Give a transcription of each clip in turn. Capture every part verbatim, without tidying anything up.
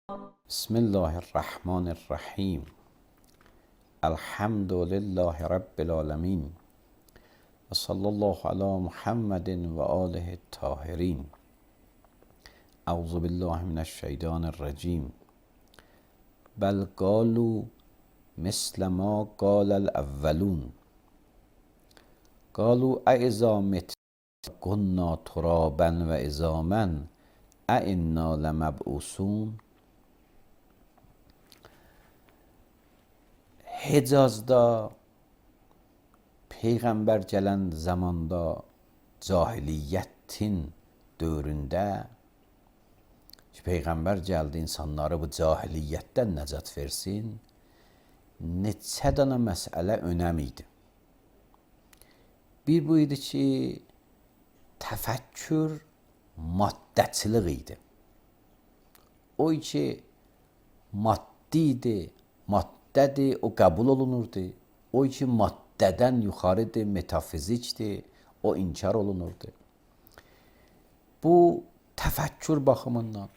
بسم الله الرحمن الرحیم. الحمد لله رب العالمین و صلی الله علی محمد و آله الطاهرین. اعوذ بالله من الشیطان الرجیم. بل قالوا مثل ما قال الاولون قالوا أإذا متنا كنا ترابا و عظاما أإنا لمبعوثون. Hicazda Peyğəmbər gələn zamanda cahiliyyətin dövründə ki, Peyğəmbər gəldi insanları bu cahiliyyətdən nəcat versin, neçə dana məsələ önəm idi. Bir bu idi ki, təfəkkür maddəçilik idi. O ki, maddi idi, maddi Maddədir, o qəbul olunurdu. O ki maddədən yuxarıdır, metafizikdir, o inkar olunurdu. Bu təfəkkür baxımından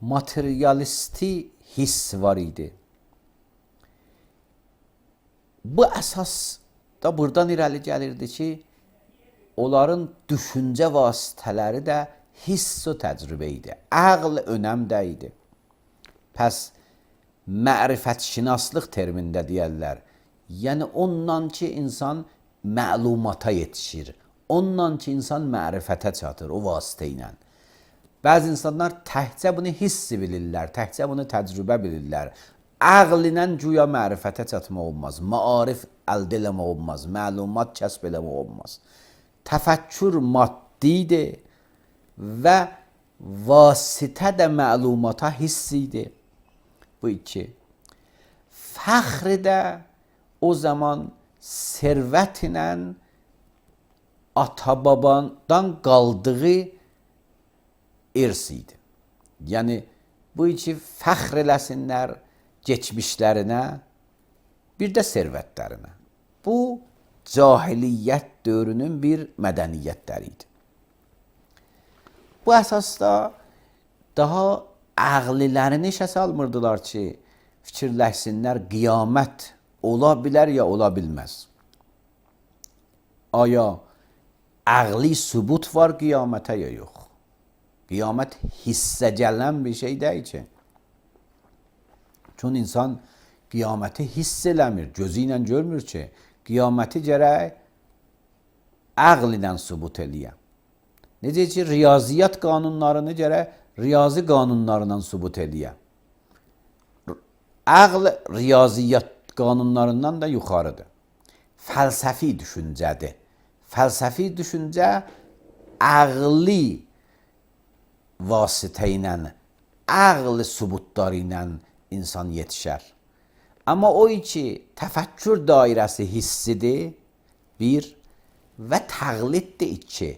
materialisti hiss var idi. Bu əsas da buradan irəli gəlirdi ki, onların düşüncə vasitələri də hiss və təcrübə idi. Əql önəmdə idi. Pəs mərifətşinaslıq termində deyərlər. Yəni ondan ki, insan məlumata yetişir. Ondan ki, insan mərifətə çatır o vasitə ilə. Bəzi insanlar təhcə bunu hiss bilirlər, təhcə bunu təcrübə bilirlər. Əql ilə güya mərifətə çatmaq olmaz, maarif əldə eləmək olmaz, məlumat kəsb eləmək olmaz. Təfəkkür maddidir və vasitə də məlumata hissidir. Bu iki. Fəxr də o zaman servət ilə ata-babadan qaldığı irs idi. Yəni, bu iki fəxr eləsinlər geçmişlərinə, bir də servətlərinə. Bu, cahiliyyət dövrünün bir mədəniyyətləri idi. Bu əsasda daha əqlilərini işə salmırdılar ki, fikirləşsinlər, qiyamət ola bilər ya ola bilməz. Aya əqli sübut var qiyamətə ya yox? Qiyamət hissə gələn bir şey deyil ki. Çünki insan qiyaməti hiss eləmir, gözü ilə görmür ki, qiyaməti gərək əql ilə sübut eləyə. Necə ki, riyaziyyat qanunlarını gərək riyazi qanunlarından sübut eləyə. Əql riyaziyyat qanunlarından da yuxarıdır. Fəlsəfi düşüncədir. Fəlsəfi düşüncə əqli vasitə ilə, əql sübutları ilə insan yetişər. Amma o ki, təfəkkür dairəsi hissidir, bir, və təqliddir iki,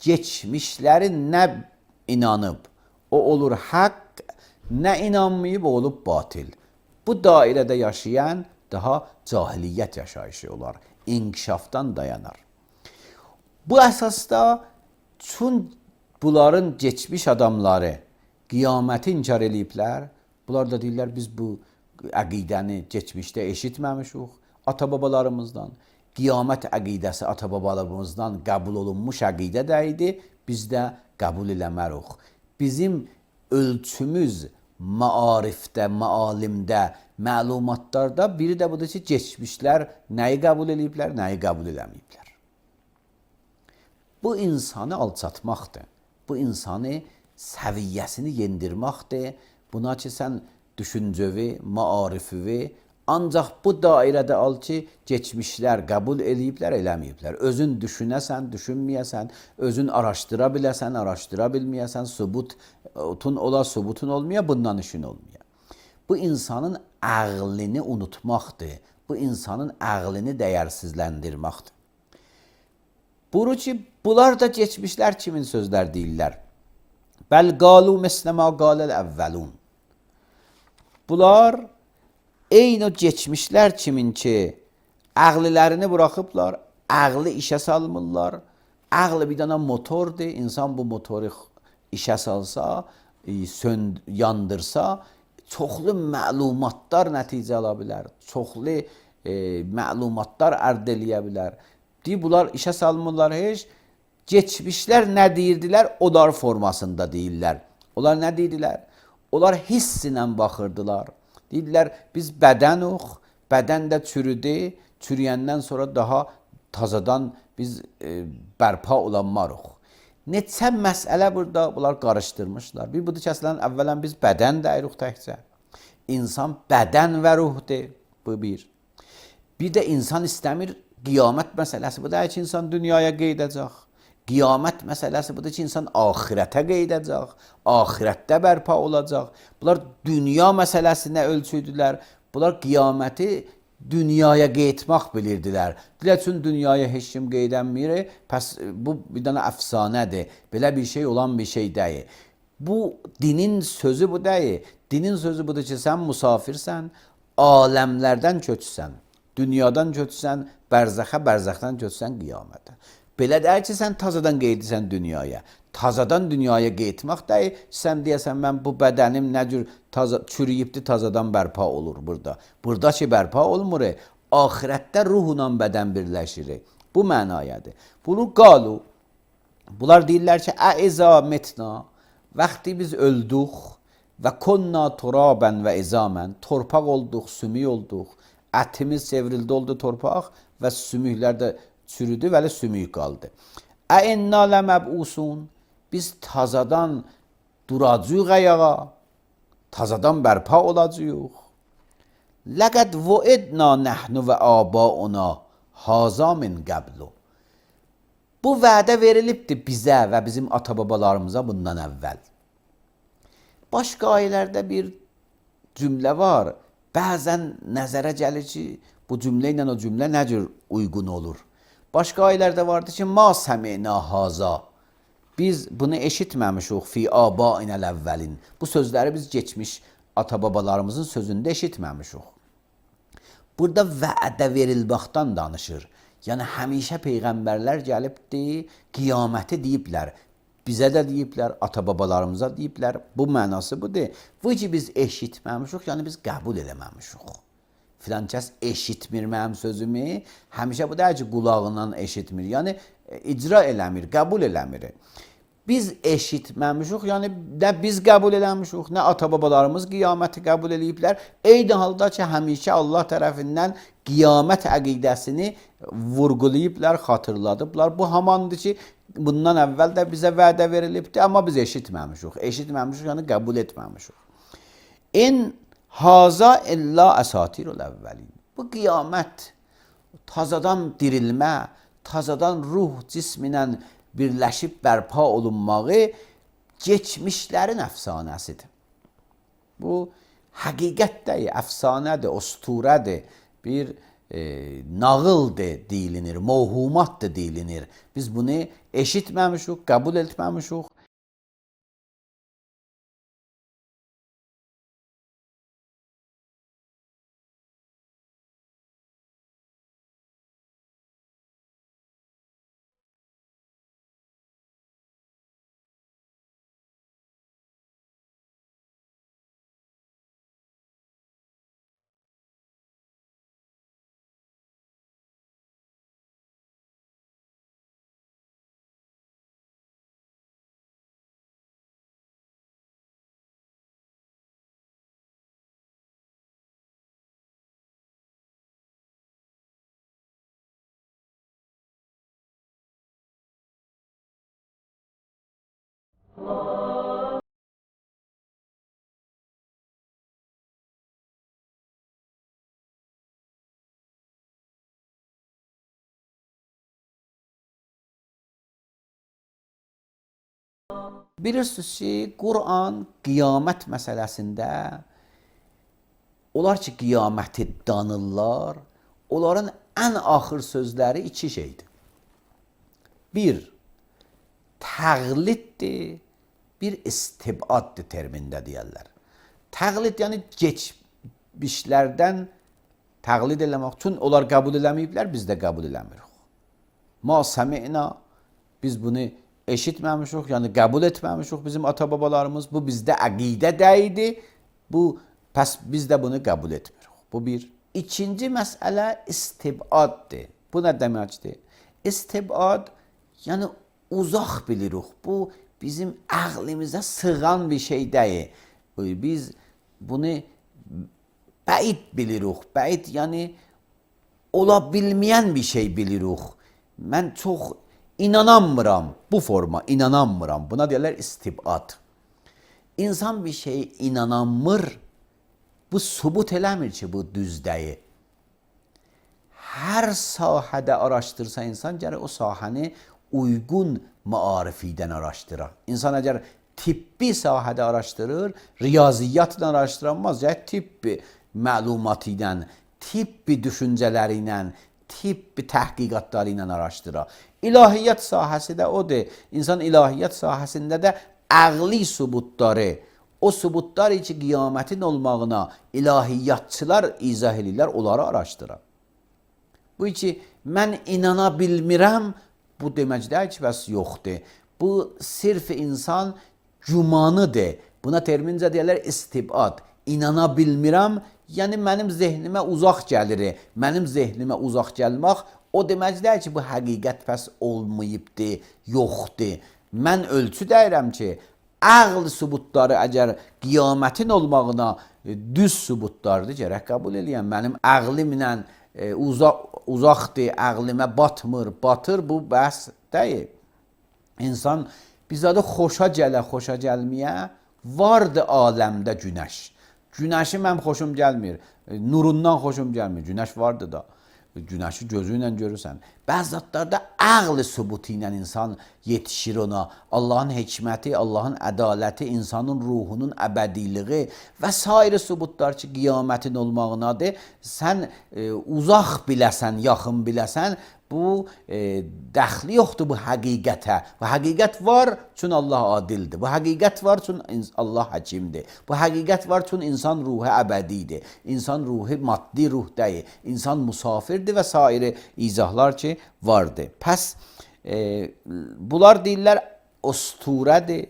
geçmişləri nə inanıb, o olur haqq, nə inanmayıb, o olub batil. Bu dairədə yaşayan daha cahiliyyət yaşayışı olar, inkişafdan dayanar. Bu əsasda çün bunların geçmiş adamları qiyaməti inkar eləyiblər, bunlar da deyirlər, biz bu əqidəni geçmişdə eşitməmişik ata-babalarımızdan. Qiyamət əqidəsi ata-babalarımızdan qəbul olunmuş əqidə də idi, biz də qəbul eləmərik. Bizim ölçümüz maarifdə, maalimdə, məlumatlarda biri də budur ki, geçmişlər nəyi qəbul eləyiblər, nəyi qəbul eləməyiblər. Bu insanı alçatmaqdır. Bu insanı səviyyəsini yendirməkdir. Buna ki, sən düşüncəvi, maarifivi, ancaq bu dairədə al ki, geçmişlər qəbul eləyiblər, eləməyiblər. Özün düşünəsən, düşünməyəsən, özün araşdıra biləsən, araşdıra bilməyəsən, sübutun ola, sübutun olmaya, bundan işin olmaya. Bu insanın əqlini unutmaqdır. Bu insanın əqlini dəyərsizləndirməkdir. Buru ki, bunlar da geçmişlər kimin sözlər deyirlər? Bəl qalu mislə ma qaləl əvvəlun. Bunlar eyni o geçmişlər kimin ki, əqlilərini buraxıblar, əqli işə salmırlar. Əqli bir dənə motordur, insan bu motoru işə salsa, e, sönd yandırsa, çoxlu məlumatlar nəticə ala bilər. Çoxlu e, məlumatlar əldə eləyə bilər. Deyir, bunlar işə salmırlar heç. Geçmişlər nə deyirdilər? Onlar formasında deyirlər. Onlar nə deyirdilər? Onlar hiss ilə baxırdılar. Deyirlər, biz bədənuq, bədən də çürüdü. Çürüyəndən sonra daha tazadan biz e, bərpa olanmarıq. Neçə məsələ burada bunlar qarışdırmışlar. Bir budur ki, əslən, əvvələn biz bədən dəyirik təkcə. İnsan bədən və ruhdur. Bu bir. Bir də insan istəmir, qiyamət məsələsi budur ki, insan dünyaya qeydəcək. Qiyamət məsələsi budur ki, insan axirətə qeydəcək. Axirətdə bərpa olacaq. Bunlar dünya məsələsinə ölçüdülər. Bunlar qiyaməti dünyaya qeytmaq bilirdilər. Dilə üçün dünyaya heç kim qeydənmir. Pəs bu bir dənə əfsanədir. Belə bir şey olan bir şey deyil. Bu dinin sözü bu deyil. Dinin sözü budur ki, sən musafirsən, aləmlərdən köçsən, dünyadan köçsən, bərzəxə, bərzəxdən köçsən qiyamətə. Belə deyil ki, sən tazadan qeydisən dünyaya. Tazadan dünyaya qeytmaq deyil. Sən deyəsən, mən bu bədənim nə cür taza, çürüyübdir, tazadan bərpa olur burada. Burada ki, bərpa olmur. Ahirətdə ruhla bədən birləşir. Bu mənayadır. Bunu qalu. Bunlar deyirlər ki, əizə metna. Vaxtı biz öldük və konna turabən və izamən. Torpaq olduq, sümük olduq. Ətimiz çevrildi oldu torpaq və sümüklər də çürüdü və sümük qaldı. Əinna ləməb'usun. Biz tazadan duracağıq ayağa. Tazadan bərpa olacağıq. Ləqəd vuidna nəhnu və abauna haza min qəblu. Bu vədə verilibdir bizə və bizim ata-babalarımıza bundan əvvəl. Başqa ayələrdə bir cümlə var. Bəzən nəzərə gəlir ki, bu cümlə ilə o cümlə nə cür uyğun olur. Başqa ayələrdə vardır ki, ma səmi'na haza. Biz bunu eşitməmişik fi abainəl əvvəlin. Bu sözləri biz geçmiş ata-babalarımızın sözündə eşitməmişik. Burada vədə verilməkdən danışır. Yəni həmişə peyğəmbərlər gəlibdir, qiyaməti deyiblər. Bizə də deyiblər, ata-babalarımıza deyiblər. Bu mənası budur. Bu ki biz eşitməmişik, yəni biz qəbul eləməmişik. Filan kəs eşitmir mənim sözümü. Həmişə bu deyil ki, qulağından eşitmir. Yəni icra eləmir, qəbul eləmir. Biz eşitməmişik, yəni nə biz qəbul eləmişik, nə ata-babalarımız qiyaməti qəbul eləyiblər. Eyni halda ki, həmişə Allah tərəfindən qiyamət əqidəsini vurğulayıblar, xatırladıblar. Bu hamandır ki, bundan əvvəl də bizə vədə verilibdir, amma biz eşitməmişik. Eşitməmişik, yəni qəbul etməmişik. In haza illa əsatirul əvvəlin. Bu qiyamət, tazadan dirilmə, tazadan ruh cisminlə birləşib bərpa olunmağı geçmişlərin əfsanəsidir. Bu həqiqətdir, əfsanədir, usturədir, bir e, nağıldır deyilinir, mövhumatdır deyilinir. Biz bunu eşitməmişik, qəbul etməmişik. Bilirsiniz ki, Quran qiyamət məsələsində onlar ki, qiyaməti danırlar, onların ən axır sözləri iki şeydir. Bir, təqliddir, bir istibaddır termində deyərlər. Təqlid, yəni geçmişlərdən təqlid eləmək üçün onlar qəbul eləməyiblər, biz də qəbul eləmirik. Ma səmi'na, biz bunu eşitməmişik, yəni qəbul etməmişik bizim ata-babalarımız. Bu bizdə əqidədə idi. Bu pəs biz də bunu qəbul etmirik. Bu bir. İkinci məsələ istibaddır. Bu nə deməkdir? İstibad yəni uzaq bilirik. Bu bizim ağlımıza sığan bir şey deyil. Biz bunu bəid bilirik. Bəid yəni ola bilməyən bir şey bilirik. Mən çox inanamıram bu forma, inanamıram. Buna deyirlər istibad. İnsan bir şeye inanamır, bu subut eləmir ki, bu düz deyil. Hər sahədə araşdırsa insan gərək o sahəni uygun maarifiden araşdırar. İnsan əgər tibbi sahədə araşdırır, riyaziyyatla araşdıramaz, ya tibbi məlumatıyla, tibbi düşüncələriylə, tibbi təhqiqatları ilə araşdırar. İlahiyyat sahəsi də odur. İnsan ilahiyyat sahəsində də əqli subutları, o subutlar ki, qiyamətin olmağına ilahiyyatçılar izah edirlər, onları araşdırar. Bu ki, mən inana bilmirəm, bu demək deyil ki, bəs yoxdur. Bu sirf insan gümanıdır. Buna termincə deyirlər istibad. İnana bilmirəm, yəni mənim zehnimə uzaq gəlir. Mənim zehnimə uzaq gəlmək o demək deyil ki, bu həqiqət pəs olmayıbdır, yoxdur. Mən ölçü deyirəm ki, əql subutları əgər qiyamətin olmağına düz subutlardır, gərək qəbul eləyəm. Mənim əqlimlə e, uzaq, uzaqdır, əqlimə batmır, batır, bu bəhs deyil. İnsan bizdə xoşa gələ, xoşa gəlməyə vardı aləmdə günəş. Günəşi mən xoşum gəlmir, nurundan xoşum gəlmir, günəş vardı da. Günəşi gözü ilə görürsən. Bəzi zatlarda əql sübutu ilə insan yetişir ona. Allahın hikməti, Allahın ədaləti, insanın ruhunun əbədiliği və sair sübutlar ki, qiyamətin olmağınadır. Sən e, uzaq biləsən, yaxın biləsən, bu e, dəxli yoxdur bu həqiqətə. Bu həqiqət var, çünki Allah adildir. Bu həqiqət var, çünki Allah həkimdir. Bu həqiqət var, çünki insan ruhu əbədidir. İnsan ruhu maddi ruh deyil. İnsan musafirdir və sair izahlar ki, vardır. Pəs e, bunlar deyirlər usturədir,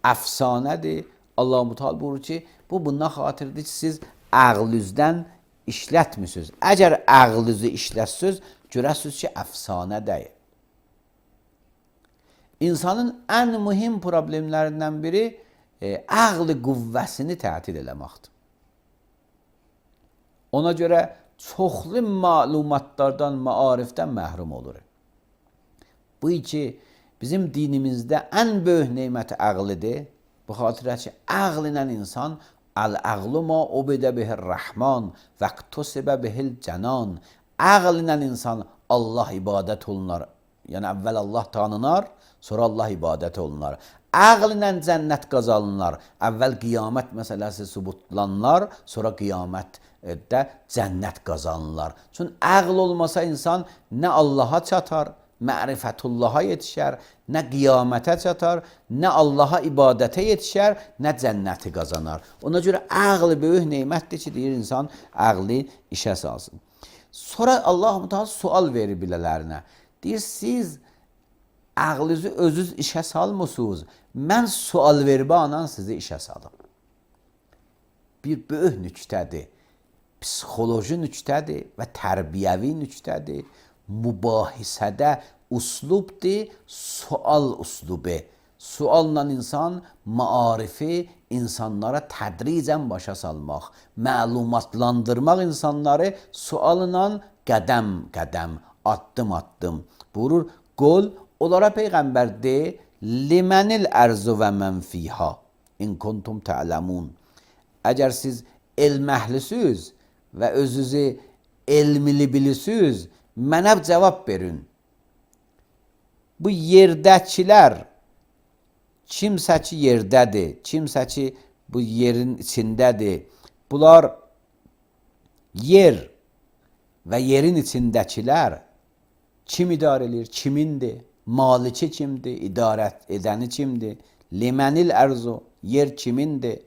əfsanədir. Allah-u Teala buyurur ki, bu bundan xatirdir ki, siz əqlünüzdən işlətmirsiniz. Əgər əqlünüzü işlətsiniz, görəsiniz ki, əfsanə deyil. İnsanın ən mühim problemlərindən biri e, əqli qüvvəsini tətil eləməkdir. Ona görə çoxlu məlumatlardan, maarifdən məhrum olur. Bu ki, bizim dinimizdə ən böyük neymət əqlidir. Bu xatirə ki, əql ilə insan əl-əqlu ma ubidə bihir rəhman və qtusibə bihil cənan. Əql ilə insan Allah ibadət olunar. Yəni əvvəl Allah tanınar, sonra Allah ibadət olunar. Əql ilə cənnət qazanırlar. Əvvəl qiyamət məsələsi sübutlanlar, sonra qiyamətdə cənnət qazanırlar. Çünki əql olmasa insan nə Allaha çatar, mərifətullaha yetişər, nə qiyamətə çatar, nə Allaha ibadətə yetişər, nə cənnəti qazanar. Ona görə əql böyük neymətdir ki, deyir insan əqli işə salsın. Sonra Allah-u Teala sual verir bilələrinə. Deyir, siz əqlinizi özünüz işə salmısınız. Mən sual vermə anan sizi işə salım. Bir böyük nüktədir. Psixoloji nüktədir və tərbiyəvi nüktədir. Mübahisədə uslubdur, sual uslubu. Sualla insan maarifi insanlara tədricən başa salmaq, məlumatlandırmaq insanları sualla qədəm-qədəm, addım-addım. Buyurur, qol onlara Peyğəmbər de, limənil ərzu və mən fiha, in kuntum tə'ləmun. Əgər siz elm əhlisiniz və özünüzü elmili bilirsiniz, mənə cavab verin. Bu yerdəkilər, kimsə ki yerdədir, kimsə ki bu yerin içindədir, bunlar yer və yerin içindəkilər kim idarə edir, kimindir, maliki kimdir, idarət edəni kimdir, limənil ərzu, yer kimindir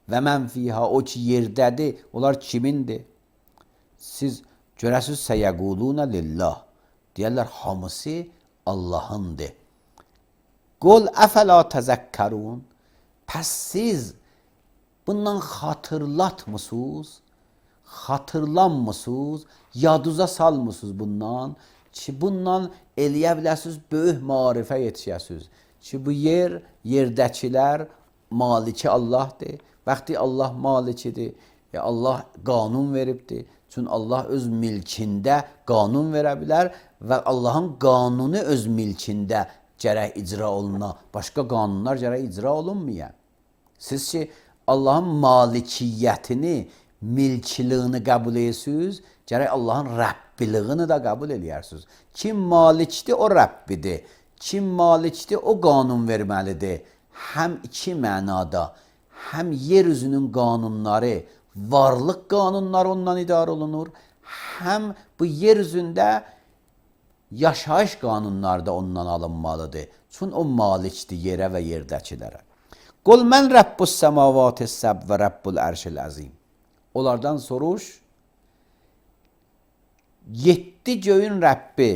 və mən fiha, o ki yerdədir, onlar kimindir? Siz görəsiniz səyəquluna lillah, deyərlər hamısı Allahındır. Qul əfəla təzəkkarun. Pəs siz bundan xatırlatmısınız? Xatırlanmısınız? Yadınıza salmısınız bundan? Ki bundan eləyə biləsiniz, böyük marifə yetişəsiniz. Ki bu yer, yerdəkilər maliki Allahdır. Vaxtı Allah malikidir. E Allah qanun veribdir. Çünki Allah öz milkində qanun verə bilər və Allahın qanunu öz milkində gərək icra oluna, başqa qanunlar gərək icra olunmaya. Siz ki Allahın malikiyyətini, milkiliyini qəbul edirsiniz, gərək Allahın Rəbbiliyini də qəbul edirsiniz. Kim malikdir, o Rəbbidir. Kim malikdir, o qanun verməlidir. Həm iki mənada, həm yer üzünün qanunları, varlıq qanunları ondan idarə olunur, həm bu yer üzündə yaşayış qanunları da ondan alınmalıdır. Çünki o malikdir yerə və yerdəkilərə. Qul mən Rəbbus səmavati səb və Rəbbul ərşil əzim. Onlardan soruş, yeddi göyün Rəbbi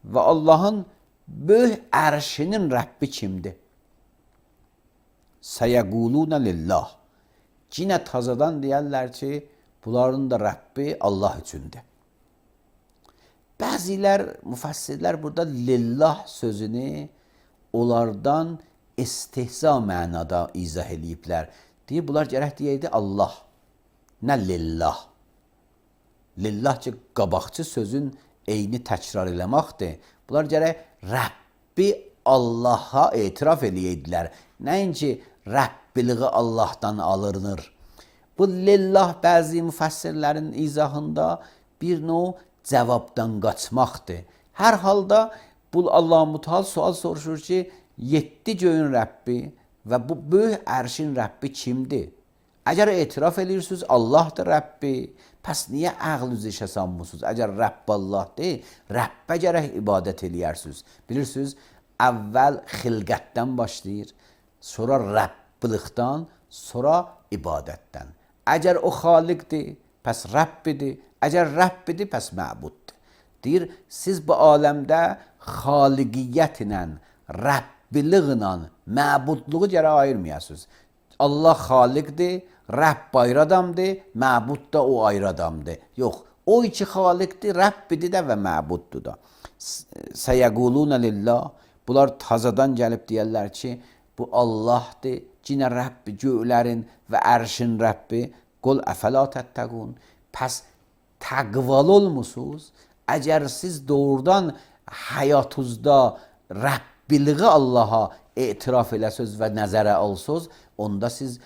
və Allahın böyük ərşinin Rəbbi kimdir? Səyəqulunə lillah. Yine tazadan deyərlər ki, bunların da Rəbbi Allah üçündür. Bəzilər, müfəssirlər burada lillah sözünü onlardan istehza mənada izah ediblər. Deyir, bunlar gərək deyəydi Allah. Nə lillah? Lillah ki, qabaqçı sözün eyni təkrar eləməkdir. Bunlar gərək Rəbbi Allaha etiraf eləyəydilər. Nəinki Rəbbiliği Allahdan alınır. Bu lillah bəzi müfəssirlərin izahında bir növ cavabdan qaçmaqdır. Hər halda bu Allah-u Müteal sual soruşur ki, yeddi göyün Rəbbi və bu böyük ərşin Rəbbi kimdir? Əgər etiraf edirsiniz Allahdır Rəbbi, pəs niyə ağlınızı işə salmısınız? Əgər Rəbb Allahdır, Rəbbə gərək ibadət edirsiniz. Bilirsiniz, əvvəl xilqətdən başlayır, sonra Rəbbilikdən, sonra ibadətdən. Əgər o xaliqdir, pəs Rəbbidir. Əgər Rəbbidir, pəs məbuddur. Deyir, siz bu aləmdə xaliqiyyətlə, Rəbbiliklə, məbudluğu gərək ayırmayasınız. Allah xaliqdir, Rəbb ayrı adamdır, məbud da o ayrı adamdır. Yox, o iki xaliqdir, Rəbbidir də və məbuddur da. Səyəqulunə lillah. Bunlar tazadan gəlib deyərlər ki, bu Allahdır, cinə Rəbbi, göylərin və ərşin Rəbbi. Qul əfəla təttəqun. Pəs təqvalı olmusunuz. Əgər siz doğrudan həyatınızda Rəbbiliği Allaha etiraf eləsiniz və nəzərə alsınız, onda siz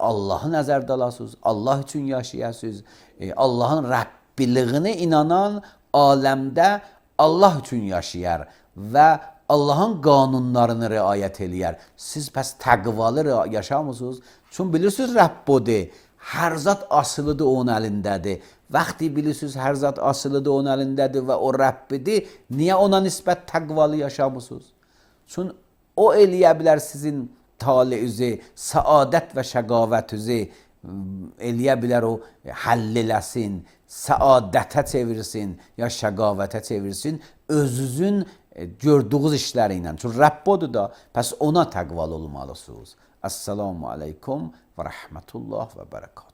Allahı nəzərdə alasınız, Allah üçün yaşayasınız. Allahın Rəbbiliyini inanan aləmdə Allah üçün yaşayar və Allahın qanunlarını riayət eləyər. Siz pəs təqvalı yaşamısınız. Çünki bilirsiniz Rəbb odur. Hər zat asılıdır onun əlindədir. Vaxtı bilirsiniz hər zat asılıdır onun əlindədir və o Rəbbidir. Niyə ona nisbət təqvalı yaşamısınız? Çünki o eləyə bilər sizin talihinizi, səadət və şəqavətinizi eləyə bilər o həll eləsin, səadətə çevirsin ya şəqavətə çevirsin özünüzün gördüyünüz işləri ilə. Çünki Rəbb odur da, pəs ona təqvalı olmalısınız. Əssalamu aleykum və rəhmətullah və bərəkət.